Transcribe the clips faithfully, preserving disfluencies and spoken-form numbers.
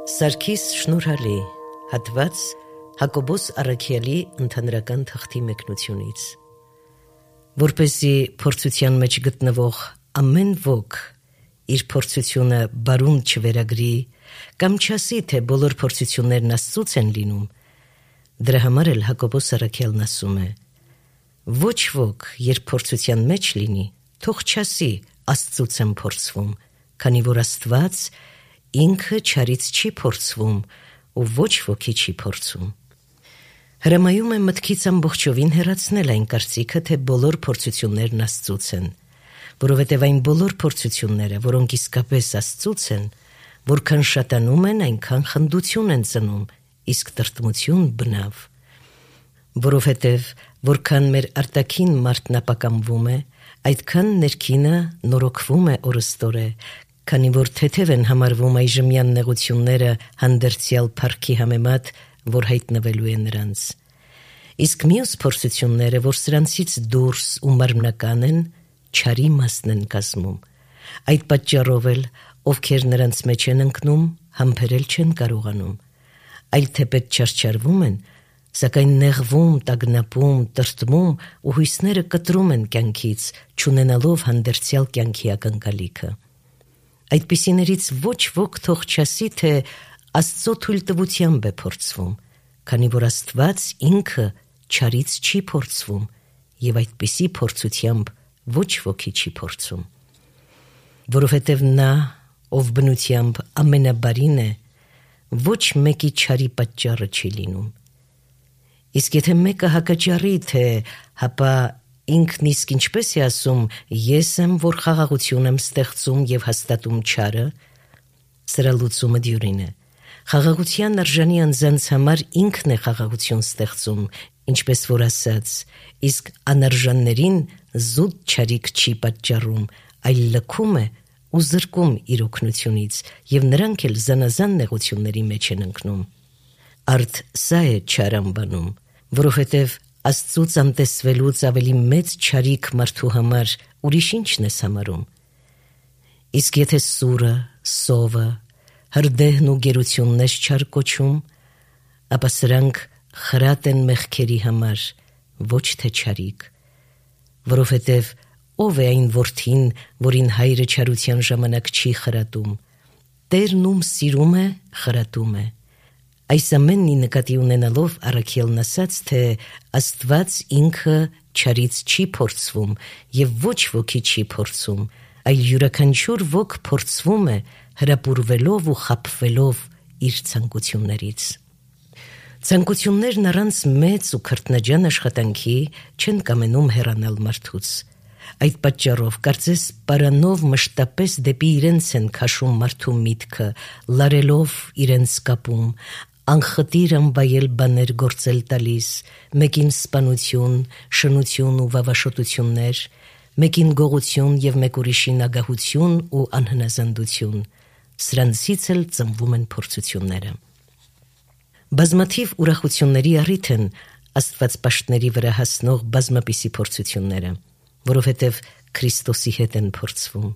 Սարգիս Շնորհալի, հատված Հակոբոս Առաքյալի ընդհանրական թղթի մեկնությունից։ Որպեսզի փորձության մեջ գտնվող ամեն ոք իր փորձությունը բարուն չվերագրի կամ չասի, թե բոլոր փորձություններն Աստծուց են լինում, դրա համար էլ Հակոբոս Առաքյալն ասում է. ոչ ոք, երբ փորձության մեջ լինի, թող չասի Աստծուց եմ փորձվում, քանի որ Աստված ինքը չարից չի փորձվում ու ոչ ոքի չի փորձում։ Հրամայում է մտքից ամբողջովին հեռացնել այն կարծիքը, թե բոլոր փորձություններն Աստծուց են, որովհետև այն բոլոր փորձությունները, որոնք իսկապես Աստծուց են, որքան շատանում են, այնքան խնդություն են ծնում, իսկ տրտմություն բնավ։ Որովհետև որքան մեր արտաքին մարդն ապակամվում է, այդքան ներքինը նորոգվում է օրըստօրե, քանի որ թեթև են համարվում այժմյան նեղությունները հանդերձյալ փառքի համեմատ, որ հայտնվելու է նրանց։ Իսկ մյուս փորձությունները, որ սրանցից դուրս ու մարմնական են, չարի մասն են կազմում։ Այդ պատճառով էլ, ովքեր նրանց մեջ են ընկնում, համբերել չեն կարողանում, այլ թեպետ չարչարվում են, սակայն նեղվում, տագնապում, տրտմում ու հույսները կտրում են կյանքից, չունենալով հանդերձյալ կյանքի ակնկալիքը։ Այդպիսիներից ոչ ոք թող չասի, թե Աստծո թույլտվությամբ է փորձվում, քանի որ Աստված ինքը չարից չի փորձվում և այդպիսի փորձությամբ ոչ ոքի չի փորձում։ Որովհետև նա, ով բնությամբ ամենաբարին է, ոչ մեկի չարի պատճառը չի լինում։ Իսկ եթե մեկը հակաճառի, թե հապա ինքն իսկ ինչպես է ասում, ես եմ, որ խաղաղություն եմ ստեղծում և հաստատում չարը, սրա լուծումը դյուրին է։ Խաղաղության արժանի անձանց համար ինքն է խաղաղություն ստեղծում, ինչպես որ ասաց, իսկ անարժաններին զուտ չարիք չի պատճառում, այլ լքում է ու զրկում իր օգնությունից, և նրանք էլ զանազան նեղությունների մեջ են ընկնում։ Արդ սա է չար անվանում, որովհետև Աստծուց անտեսվելուց ավելի մեծ չարիք մարդու համար ուրիշ ինչն ես համարում։ Իսկ եթե սուրը, սովը, հրդեհն ու գերությունն ես չար կոչում, ապա սրանք խրատ են մեղքերի համար, ոչ թե չարիք, որովհետև ով է այն որդին, որին հայրը չարության ժամանակ չի խրատում, Տերն ում սիրում է, խրատում է։ Այս ամենի նկատի ունենալով Առաքյալն ասաց, թե Աստված ինքը չարից չի փորձվում և ոչ ոքի չի փորձում, այլ յուրաքանչյուր ոք փորձվում է հրապուրվելով ու խաբվելով իր ցանկություններից։ Ցանկություններն առանց մեծ ու քրտնաջան աշխատանքի չեն կամենում հեռանալ մարդուց։ Այդ պատճառով կարծես պարանով մշտապես դեպի իրենց են քաշում մարդու միտքը, լարելով իրենց կապում, անխտիր անվայել բաներ գործել տալիս, մեկին սպանություն, շնություն ու վավաշոտություններ, մեկին գողություն և մեկ ուրիշին ագահություն ու անհնազանդություն, սրանցից էլ ծնվում են փորձությունները։ Բազմաթիվ ուրախությունների առիթ են աստվածպաշտների վրա հասնող բազմապիսի փորձությունները, որովհետև Քրիստոսի հետ են փորձվում,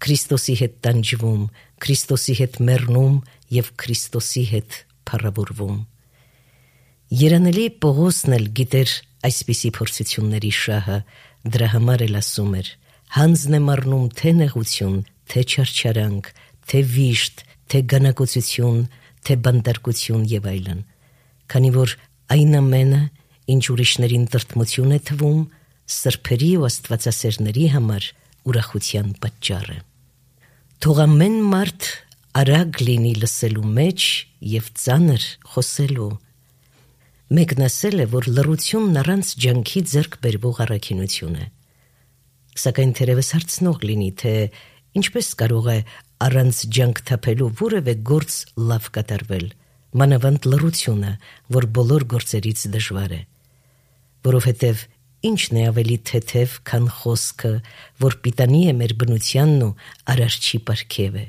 Քրիստոսի հետ տանջվում, Քրիստոսի հետ մեռնում և Քրիստոսի հետ փառավորվում։ Երանելի Պողոսն էլ գիտեր այսպիսի փորձությունների շահը, դրա համար էլ ասում էր. հանձն եմ առնում թե նեղություն, թե չարչարանք, թե վիշտ, թե գանակոծություն, թե բանտարկություն և այլն, քանի որ այն ամենը, ինչ ուրիշներին տրտմություն է թվում, սրբերի ու աստվածասերների համար ուրախության պատճառ է։ Թող ամեն մարդ արագ լինի լսելու մեջ և ծանր խոսելու։ Մեկն ասել է, որ լռությունն առանց ջանքի ձեռք բերվող առաքինություն է։ Սակայն թերևս հարցնող լինի, թե ինչպես կարող է առանց ջանք թափելու որևէ գործ լավ կատարվել, մանավանդ լռությունը, որ բոլոր գործերից դժվար է։ Որովհետև ինչն է ավելի թեթև, քան խոսքը, որ պիտանի է մեր բնությանն ու արարչի պարգև է,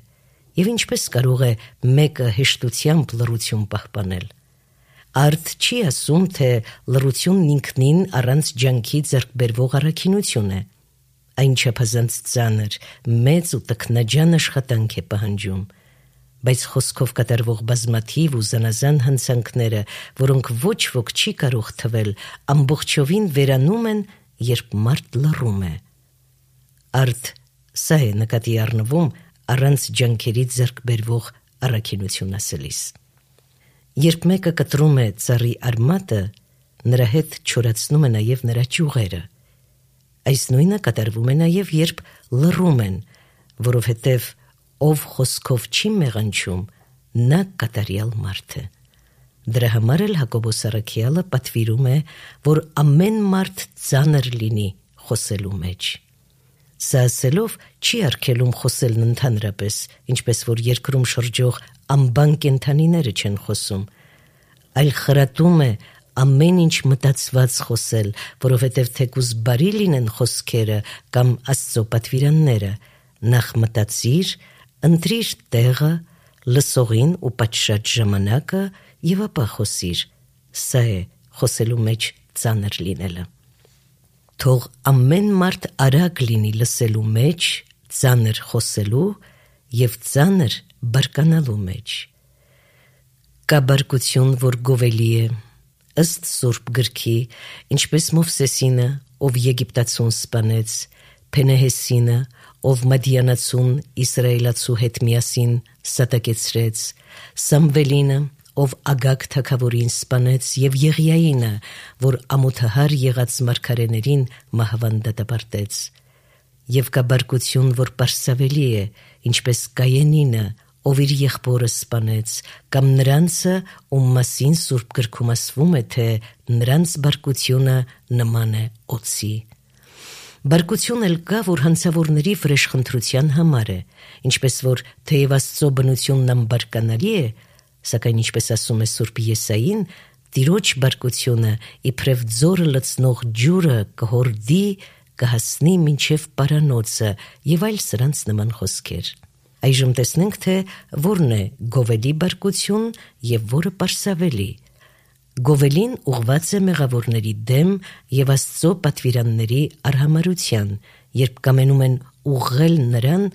և ինչպես կարող է մեկը հեշտությամբ լռություն պահպանել։ Արդ չի ասում, թե լռությունն ինքնին առանց ջանքի ձեռք բերվող առաքինություն է, այն չափազանց ծանր, մեծ ու տքնաջան աշխատանք է պահանջում, բայց խոսքով կատարվող բազմաթիվ ու զանազան հնցանքները, որոնք ոչ ոք չի կարող թվել, ամբողջովին վերանում են, երբ մարդ լռում է։ Արդ սա է նկատի առնվում առանց ջանքերի ձեռք բերվող առաքինություն ասելիս։ Երբ մեկը կտրում է ծառի արմատը, նրա հետ չորացնում է նաև նրա ճյուղերը։ Այս նույնը կատարվում է նաև, երբ լռում են, որովհետև ով խոսքով չի մեղանչում, նա կատարյալ մարդ է։ Դրա համար էլ Հակոբոս առաքյալը պատվիրում է, որ ամեն մարդ ծանր լինի խոսելու մեջ։ Սա ասելով չի արգելում խոսելն ընդհանրապես, ինչպես որ երկրում շրջող անբան կենդանիները չեն խոսում, այլ խրատում է ամեն ինչ մտածված խոսել, որովհետև թեկուզ բարի լինեն խոսքերը կամ Աստծո պատվիրանները, նախ մտածիր, ընտրիր տեղը, լսողին ու պատշաճ ժամանակը և ապա խոսիր։ Սա է խոսելու մեջ ծանր լինելը։ Թող ամեն մարդ արագ լինի լսելու մեջ, ծանր խոսելու և ծանր բարկանալու մեջ։ Կա բարկություն, որ գովելի է, ըստ Սուրբ գրքի, ինչպես Մովսեսինը, ով Եգիպտացուն սպանեց, Փենեհեսինը, ով Մադիանացուն իսրայելացու հետ միասին սատակեցրեց, Սամվելինը, ով Ագագ թագավորին սպանեց, և Եղիայինը, որ ամոթահար եղած մարգարեներին մահվան դատապարտեց։ Եվ կա բարկություն, որ պարսավելի է, ինչպես Կայենինը, ով իր եղբորը սպանեց, կամ նրանցը, ում մասին Սուրբ գրքում ասվում է, թե նրանց բարկությունը նման է օձի։ Բարկություն էլ կա, որ հանցավորների վրեժխնդրության համար է, ինչպես որ թեև Աստծո բնությունն անբարկանալի է, սակայն ինչպես ասում է Սուրբ Եսային, Տիրոջ բարկությունը իբրև ձորը լցնող ջուրը կհորդի, կհասնի մինչև պարանոցը և այլ սրանց նման խոսքեր։ Այժմ տեսնենք, թե որն է գովելի բարկություն և որը պարսավելի։ Գովելին ուղված է մեղավորների դեմ և Աստծո պատվիրանների արհամարհության, երբ կամենում են ուղղել նրան,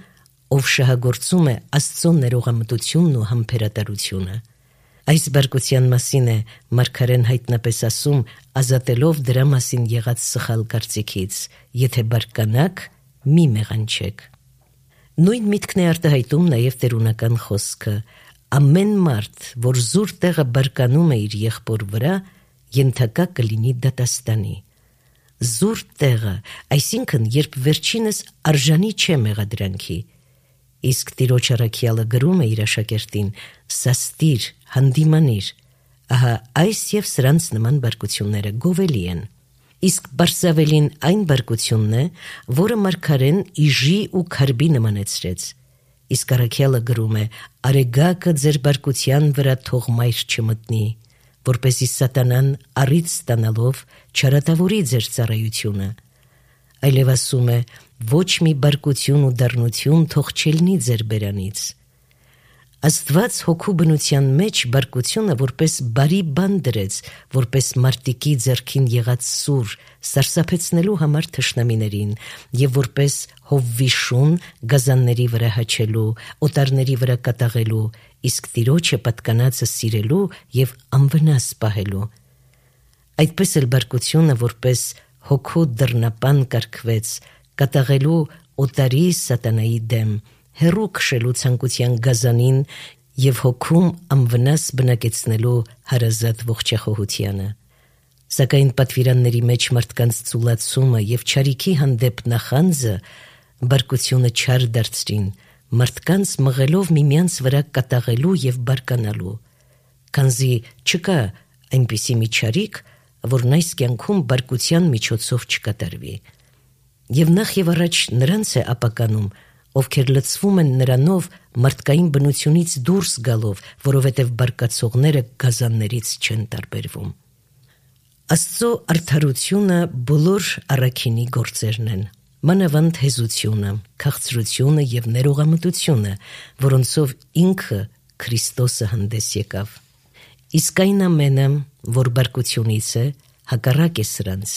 ով շահագործում է Աստծո ներողամտությունն ու համբերատարությունը։ Այս բարկության մասին է մարգարեն հայտնապես ասում, ազատելով դրա մասին եղած սխալ կարծիքից. եթե բարկանաք, մի մեղանչեք։ Նույն միտքն է արտահայտում նաև տերունական խոսքը. ամեն մարդ, որ զուր տեղը բարկանում է իր եղբոր վրա, ենթակա կլինի դատաստանի։ Զուր տեղը, այսինքն, երբ վերջինս արժանի չէ մեղադրանքի։ Իսկ Տիրոջ առաքյալը գրում է իր աշակերտին. սաստիր, հանդիմանիր, ահա այս և սրանց նման բարկությունները գովելի են։ Իսկ պարսավելին այն բարկությունն է, որը մարգարեն իժի ու քարբի նմանեցրեց։ Իսկ առաքյալը գրում է. արեգակը ձեր բարկության վրա թող մայր չմտնի, որպեսզի սատանան առիթ ստանալով չարատավորի ձեր ծառայությունը։ Այլև ասում է. ոչ մի բարկություն ու դառնություն թող չելնի ձեր բերանից։ Աստված հոգու բնության մեջ բարկությունը որպես բարի բան դրեց, որպես մարտիկի ձեռքին եղած սուր, սարսափեցնելու համար թշնամիներին, և որպես հովվի շուն գազանների վրա հաչելու, օտարների վրա կատաղելու, իսկ Տիրոջը պատկանածը սիրելու և անվնաս պահելու։ Այդպես էլ բարկությունը որպես հոգու դռնապան կարգվեց, կատաղելու օտարի սատանայի դեմ, հեռու քշելու ցանկության գազանին և հոգում անվնաս բնակեցնելու հարազատ ողջախոհությանը։ Սակայն պատվիրանների մեջ մարդկանց ծուլացումը և չարիքի հանդեպ նախանձը բարկությունը չար դարձրին, մարդկանց մղելով միմյանց վրա կատաղելու և բարկանալու, քանզի չկա այնպիսի մի չարիք, որն այս կյանքում բարկության միջոցով չկատարվի։ Եվ նախ և առաջ նրանց է ապականում, ովքեր լցվում են նրանով մարդկային բնությունից դուրս գալով, որովհետև բարկացողները գազաններից չեն տարբերվում։ Աստծո արդարությունը բոլոր առաքինի գործերն են, մանավանդ հեզությունը, քաղցրությունը և ներողամտությունը, որոնցով ինքը Քրիստոսը հանդես եկավ։ Իսկ այն ամենը, որ բարկությունից է, հակառակ է սրանց,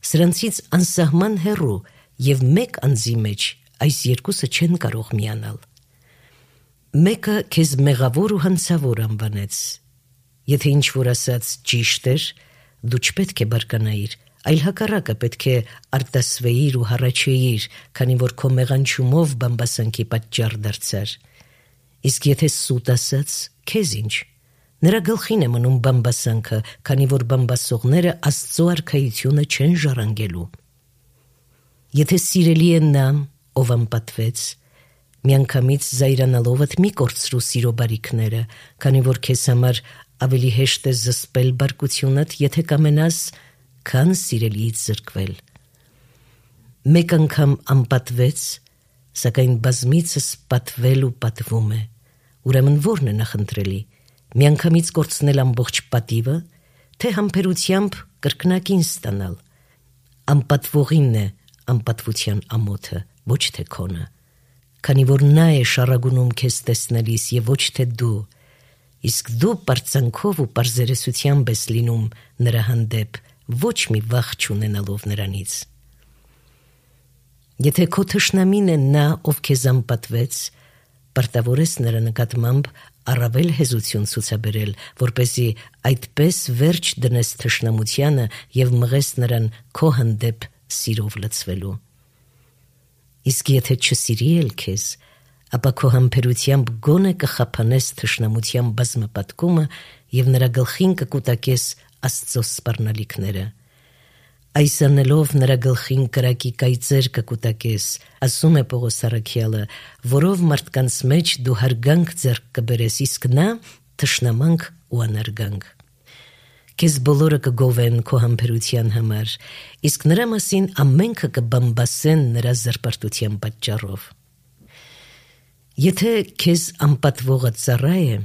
սրանցից անսահման հեռու և մեկ անձի մեջ այս երկուսը չեն կարող միանալ։ Մեկը քեզ մեղավոր ու հանցավոր անվանեց։ Եթե ինչ-որ ասած ճիշտ էր, դու չպետք է բարկանայիր, այլ հակառակը պետք է արտասվեիր ու հառաչեիր, քանի որ քո մեղանչումով բամբասանքի պատճառ դարձար։ Իսկ եթե սուտ ասած, քեզ ինչ։ Նրա գլխին է մնում բամբասանքը, քանի որ բամբասողները Աստծո արքայությունը չեն ժառանգելու։ Եթե սիրելի է նա, ով անպատվեց, միանգամից զայրանալովդ մի կորցրու սիրո բարիքները, քանի որ քեզ համար ավելի հեշտ է զսպել բարկությունդ, եթե կամենաս, քան սիրելիից զրկվել։ Մեկ անգամ անպատվեց, սակայն բազմիցս պատվել ու պատվում է։ Ուրեմն ո՞րն է նախընտրելի՝ միանգամից կորցնել ամբողջ պատիվը, թե համբերությամբ կրկնակին ստանալ։ Անպատվողինն է անպատվության ամոթը, ոչ թե քոնը, քանի որ նա է շառագունում քեզ տեսնելիս և ոչ թե դու, իսկ դու պարծանքով ու պարզերեսությամբ ես լինում նրա հանդեպ, ոչ մի վախ չունենալով նրանից։ Եթե քո թշնամին է նա, ով քեզ անպատվեց, պարտավոր ես նրա նկատմամբ առավել հեզություն ցուցաբերել, որպեսզի այդպես վերջ դնես թշնամությանը և մղես նրան քո հանդեպ սիրով լցվելու։ Իսկ եթե չսիրի էլ քեզ, ապա քո համբերությամբ գոնե կխափանես թշնամության բազմապատկումը և նրա գլխին կկուտակես Աստծո սպառնալիքները։ Այս անելով նրա գլխին կրակի կայծեր կկուտակես, ասում է Պողոս առաքյալը, որով մարդկանց մեջ դու հարգանք ձեռք կբերես, իսկ նա թշնամանք ու անարգանք։ Քեզ բոլորը կգովեն քո համբերության համար, իսկ նրա մասին ամենքը կբամբասեն նրա զրպարտության պատճառով։ Եթե քեզ անպատվողը ծառա է,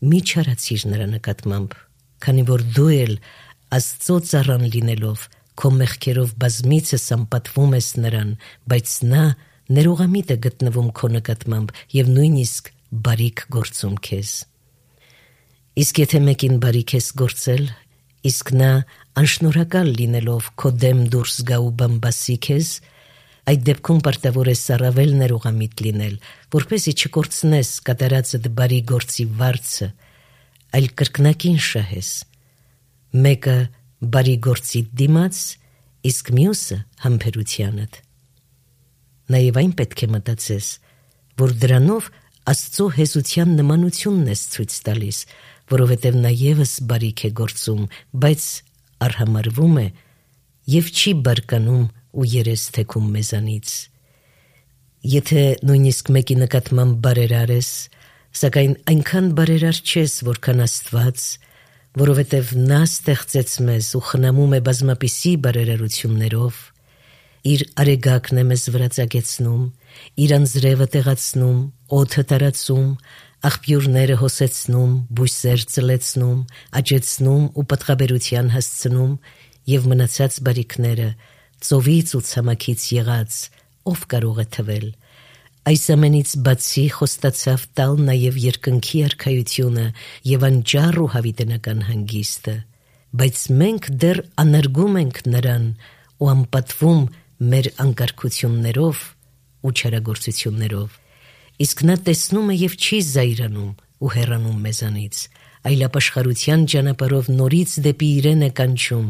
մի չարացիր նրա նկատմամբ, քանի որ դու էլ Աստծո ծառան լինելով քո մեղքերով բազմիցս անպատվում ես նրան, բայց նա ներողամիտ է գտնվում քո նկատմամբ և նույնիսկ բարիք գործում քեզ։ Իսկ եթե մեկին բարիք ես գործել, իսկ նա անշնորհակալ լինելով քո դեմ դուրս գա ու բամբասի քեզ, այդ դեպքում պարտավոր ես առավել ներողամիտ լինել, որպեսզի չկորցնես կատարածդ բարի գործի վարձը, այլ կրկնակին շահես։ Մեկը բարի գործի դիմաց, իսկ մյուսը համբերությանդ։ Նաև այն պետք է մտածես, որ դրանով Աստծո հեզության նմանությունն ես ցույց տալիս, որովհետև նա ևս բարիք է գործում, բայց արհամարվում է և չի բարկանում ու երես թեքում մեզանից։ Եթե նույնիսկ մեկի նկատմամբ բարերար ես, սակայն այնքան բարերար չես, որքան Աստված, որովհետև նա ստեղծեց մեզ ու խնամում է բազմապիսի բարերարություններով, իր արեգակն է մեզ վրա ծագեցնում, իր անձրևը տեղացնում, օդը տարածում, աղբյուրները հոսեցնում, բույսեր ծլեցնում, աճեցնում ու պտղաբերության հասցնում և մնացած բարիքները ծովից ու ցամաքից եղած, ով կարող է թվել։ Այս ամենից բացի խոստացավ տալ նաև երկնքի արքայությունը և անճառ ու հավիտենական հանգիստը, բայց մենք դեռ անարգում ենք նրան ու անպատվում մեր անկարգություններով ու չարագործություններով, իսկ նա տեսնում է և չի զայրանում ու հեռանում մեզանից, այլ ապաշխարության ճանապարհով նորից դեպի իրեն է կանչում,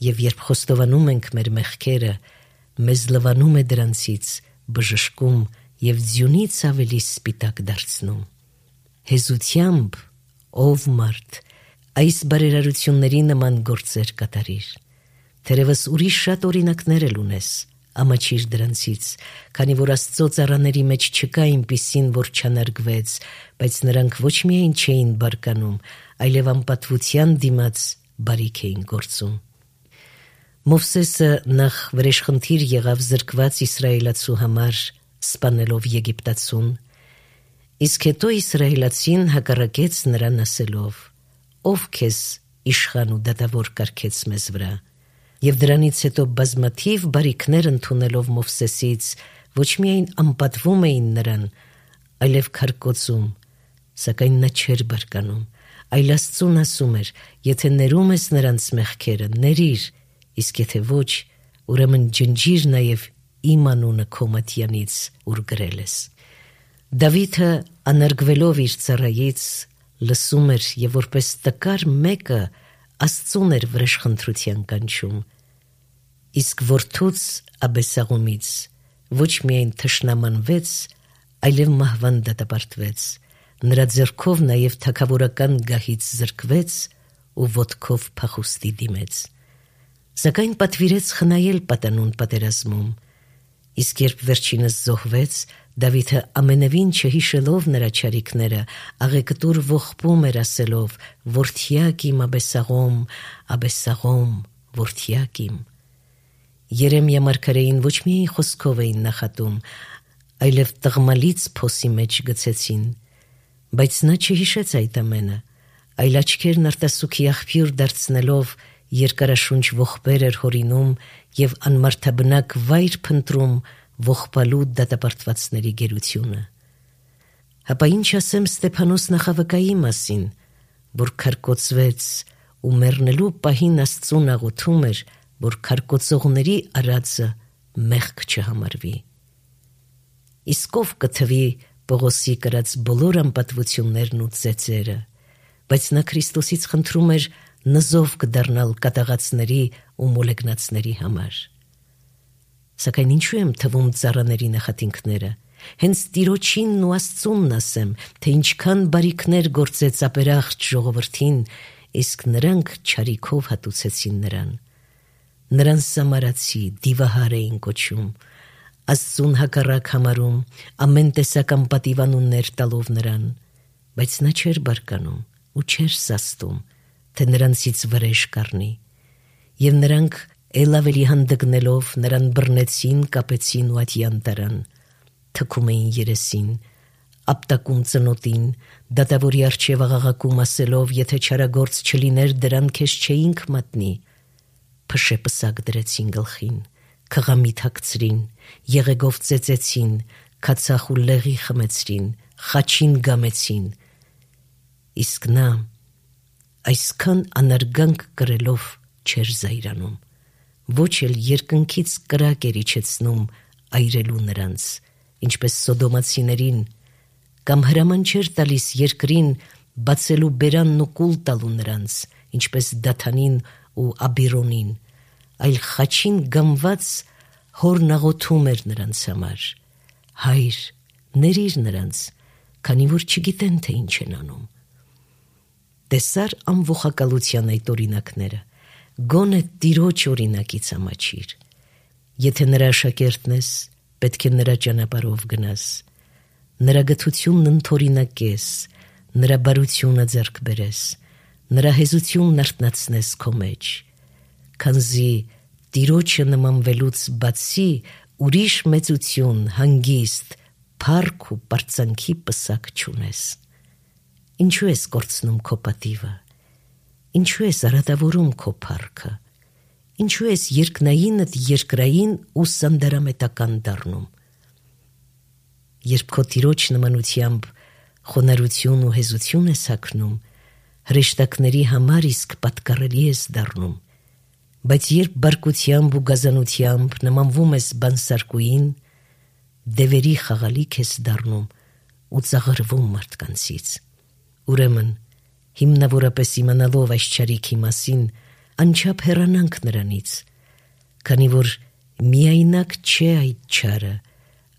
և երբ խոստովանում ենք մեր մեղքերը, մեզ լվանում է դրանցից, բժշկում և ձյունից ավելի սպիտակ դարձնում։ Հեզությամբ, ով մարդ, այս բարերարությունների նման գործեր կատարիր։ Թերևս ուրիշ շատ օրինակներ էլ ունես, ամաչիր դրանցից, քանի որ Աստծո ծառաների մեջ չկա այնպիսին, որ չանարգվեց, բայց նրանք ոչ միայն չէին բարկանում, այլև անպատվության դիմաց բարիք էին գործում։ Մովսեսը նախ վրեժխնդիր եղավ զրկված իսրայելացու համար, սպանելով Եգիպտացուն, իսկ հետո իսրայելացին հակառակեց նրան ասելով. «Ով քեզ իշխան ու դատավոր կարգեց մեզ վրա»։ Եվ դրանից հետո բազմաթիվ բարիքներ ընդունելով Մովսեսից, ոչ միայն անպատվում էին նրան, այլև քարկոծում, սակայն նա չէր բարկանում, այլ Աստծուն ասում էր. «Եթե ներում ես նրանց մեղքերը, ներիր, իսկ եթե ոչ, ուրեմն ջնջիր նաև իմ անունը քո մատյանից, ուր գրել ես»։ Դավիթը աներգվելով իր ծառայից լսում էր եւ որպես տկար մեկը Աստծուն էր վրեժխնդրության կանչում, իսկ որդուց Աբեսաղումից ոչ միայն թշնամանվեց, այլև մահվան դատապարտվեց, նրա ձեռքով նաև թագավորական գահից զրկվեց ու ոտքով փախուստի դիմեց, սակայն պատվիրեց խնայել պատանուն պատերազմում, իսկ երբ վերջինս զոհվեց, Դավիթը ամենևին չհիշելով նրա չարիքները, աղեկտուր ողբում էր ասելով. «Որդյակ իմ Աբեսաղոմ, Աբեսաղոմ, որդյակ իմ»։ Երեմիա մարգարեին ոչ միայն խոսքով էին նախատում, այլև տղմալից փոսի մեջ գցեցին, բայց նա չհիշեց այդ ամենը, այլ աչքերն արտասուքի աղբյուր դարձնելով երկարաշունչ ողբեր էր հորինում եւ անմարդաբնակ վայր փնտրում ողբալու դատապարտվածների գերությունը։ Հապա ինչ ասեմ Ստեփանոս նախավկայի մասին, որ քարկոծվեց ու մեռնելու պահին Աստծուն աղոթում էր, որ քարկոծողների արածը մեղք չհամարվի։ Իսկ ով կթվի Պողոսի կրած բոլոր անպատվություններն ու ծեծերը, բայց նա Քրիստոսից խնդրում էր նզով կդառնալ կատաղածների ու մոլեգնածների համար։ Սակայն ինչու եմ թվում ծառաների նախատինքները, հենց Տիրոջինն ու Աստծունն ասեմ, թե ինչքան բարիքներ գործեց ապերախտ ժողովրդին, իսկ նրանք չարիքով հատուցեցին նրան։ Նրան սամարացի, դիվահար էին կոչում, Աստծուն հակառակ համարում, ամեն տեսակ անպատիվանուններ տալով նրան, բայց նա չէր բարկանում ու չէր սաստում, թե նրանցից վրեժ կառնի, եւ նրանք էլ ավելի հանդգնելով նրան բռնեցին, կապեցին ու ատյան տարան, թքում էին երեսին, ապտակում ծնոտին, դատավորի առջև աղաղակում ասելով, եթե չարագործ չլիներ, դրան քեզ չէինք մատնի, փշե պսակ դրեցին գլխին, քղամիտ հագցրին, եղեգով ծեծեցին, քացախ ու լեղի խմեցրին, խաչին գամեցին, իսկ նա այսքան անարգանք կրելով չէր զայրանում, ոչ էլ երկնքից կրակ էր իջեցնում այրելու նրանց, ինչպես սոդոմացիներին, կամ հրաման չէր տալիս երկրին բացելու բերանն ու կուլ տալու նրանց, ինչպես Դաթանին ու Աբիրոնին, այլ խաչին գամված հորն աղոթում էր նրանց համար. «Հայր, ներիր նրանց, քանի որ չգիտեն, թե ինչ են անում»։ Տեսար անողակալության այդ օրինակները, գոնե Տիրոջ օրինակից ամաչիր։ Եթե նրա աշակերտն ես, պետք է նրա ճանապարհով գնաս, նրա գթությունն ընդօրինակես, նրա բարությունը ձեռք բերես, նրա հեզությունն արթնացնես քո մեջ, քանզի Տիրոջը նմանվելուց բացի ուրիշ մեծություն, հանգիստ, փառք ու պարծանքի պսակ չունես։ Ինչու ես կորցնում քո պատիվը, ինչու ես արատավորում քո փառքը, ինչու ես երկնայինդ երկրային ու սանդարամետական դառնում։ Երբ քո Տիրոջ նմանությամբ խոնարհություն ու հեզություն ես հագնում, հրեշտակների համար իսկ պատկառելի ես դառնում, բայց երբ բարկությամբ ու գազանությամբ նմանվում ես բանսարկուին, դևերի խաղալիք ես դառնում ու ծաղրվում մարդկանցից։ Ուրեմն, հիմնավորապես իմանալով այս չարիքի մասին, անչափ հեռանանք նրանից, քանի որ միայնակ չէ այդ չարը,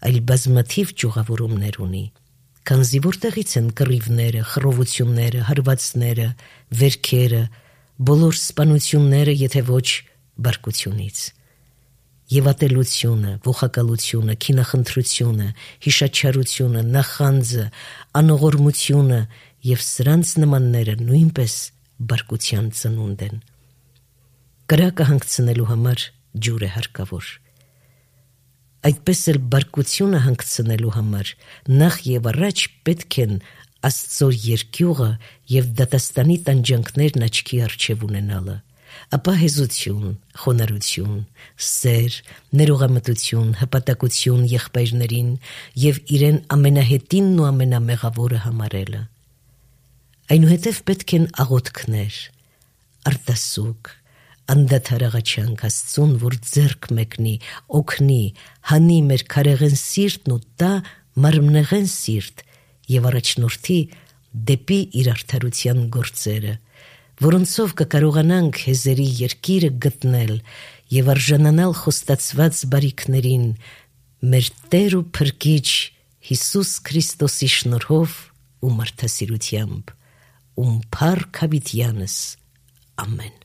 այլ բազմաթիվ ճյուղավորումներ ունի, քանզի որտեղից են կռիվները, խռովությունները, հարվածները, վերքերը, բոլոր սպանությունները, եթե ոչ բարկությունից։ Եվ ատելությունը, ողակալությունը, քինախնդրությունը, հիշաչարությունը, նախանձը, անողորմությունը և սրանց նմանները նույնպես բարկության ծնունդ են։ Կրակը հանգցնելու համար ջուր է հարկավոր։ Այդպես էլ բարկությունը հանգցնելու համար նախ եւ առաջ պետք են Աստծո երկյուղը եւ դատաստանի տանջանքներն աչքի առջև ունենալը, ապա հեզություն, խոնարհություն, սեր, ներողամտություն, հպատակություն եղբայրներին եւ իրեն ամենահետինն ու ամենամեղավորը համարելը։ Այնուհետև պետք են աղոթքներ, արտասուք, անդադար աղաչանք Աստծուն, որ ձեռք մեկնի, օգնի, հանի մեր քարեղեն սիրտն ու տա մարմնեղեն սիրտ եւ առաջնորդի դեպի իր արդարության գործերը, որոնցով կկարողանանք հեզերի երկիրը գտնել եւ արժանանալ խոստացված բարիքներին մեր Տեր ու Փրկիչ Հիսուս Քրիստոսի շնորհով ու մարդասիրությամբ, ում փառք հավիտյանս ամեն։